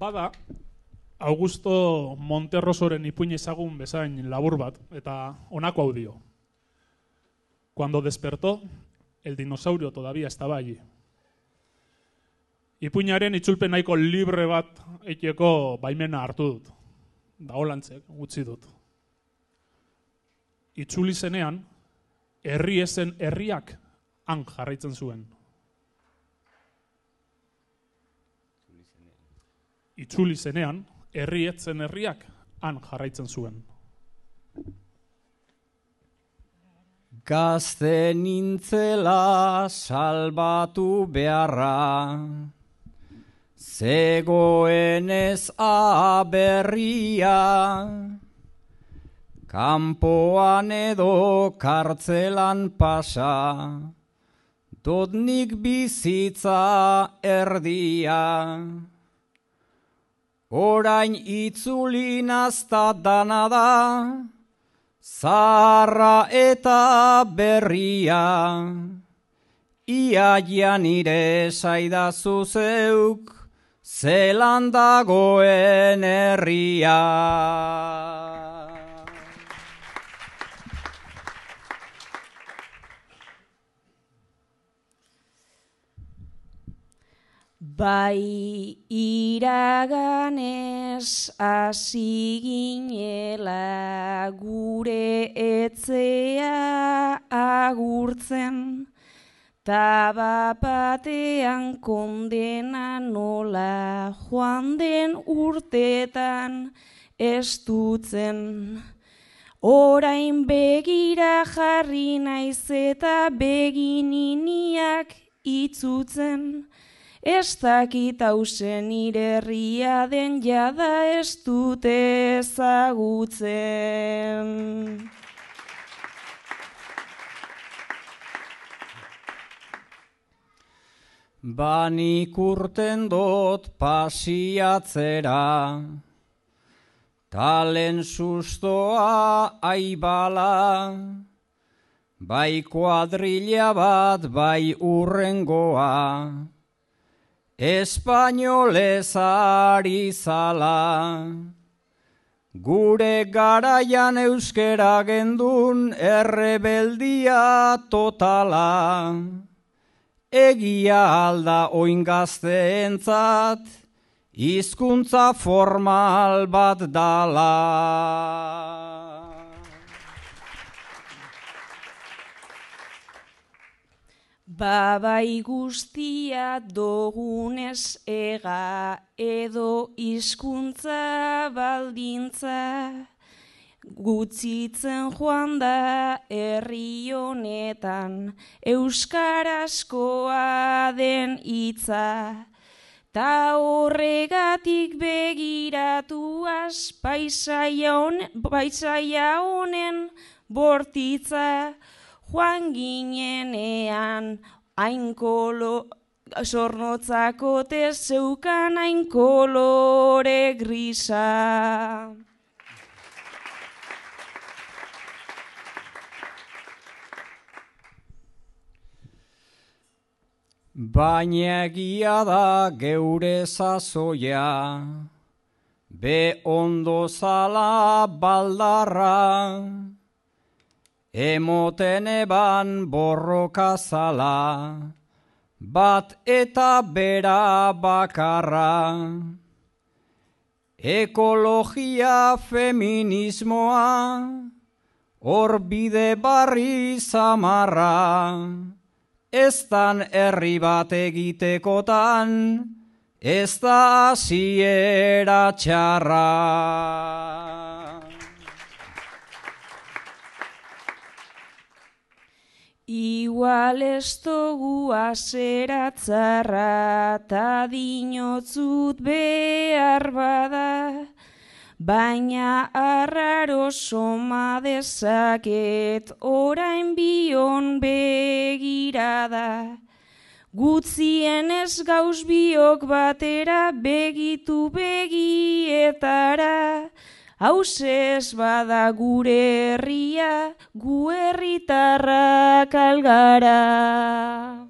Bada, Augusto Monterrosoren ipuin ezagun bezain labur bat, eta honako hau dio. Cuando despertó, el dinosaurio todavía estaba allí. Ipuinaren itzulpen nahiko libre bat eiteko baimena hartu dut. Da holantzek, utzi dut. Itzuli zenean, herri ezen herriak han jarraitzen zuen. Itzuli zenean, herri etzen herriak han jarraitzen zuen. Gazte nintzela salbatu beharra, zegoenez aberria, kanpoan edo kartzelan pasa, dot nik bizitza erdia. Orain itzuli nazta dana da, zaharra eta berria, ia nire saidazu zeuk, zelan dagoen herria. Bai iraganez hasi ginela gure etzea agurtzen, ta bapatean kondena nola joan den urtetan estutzen. Orain begira jarri naiz eta begininiak itzutzen, ez dakit hausen nire herria den jada ez dute ezagutzen. Banik urten dot pasiatzera, talen sustoa aibala, bai kuadrilla bat bai urrengoa, espainolez ari zala. Gure garaian euskera gendun errebeldia totala, egia alda oin gazteentzat, hizkuntza formal bat dala. Babai guztia dogunez ega edo hizkuntza baldintza, gutzitzen joan da herri honetan euskarazkoa den hitza, ta horregatik begiratuaz paisaia honen bortitza, joan ginenean hain zornotzakote zeukan hain kolore grisa. Baina egia da geure sasoia, be ondo zala baldarra, emoten eban borroka zala, bat eta bera bakarra. Ekologia feminismoa, hor bide barri zamarra, eztan herri bat egitekotan, ez da hasiera txarra. Igual ez dugu azeratzarra, ta dinotzut behar bada, baina arraro soma dezaket orain bion begirada. Gutzienez gauz biok batera begitu begietara, hausez bada gure herria, gu herritarrak algara.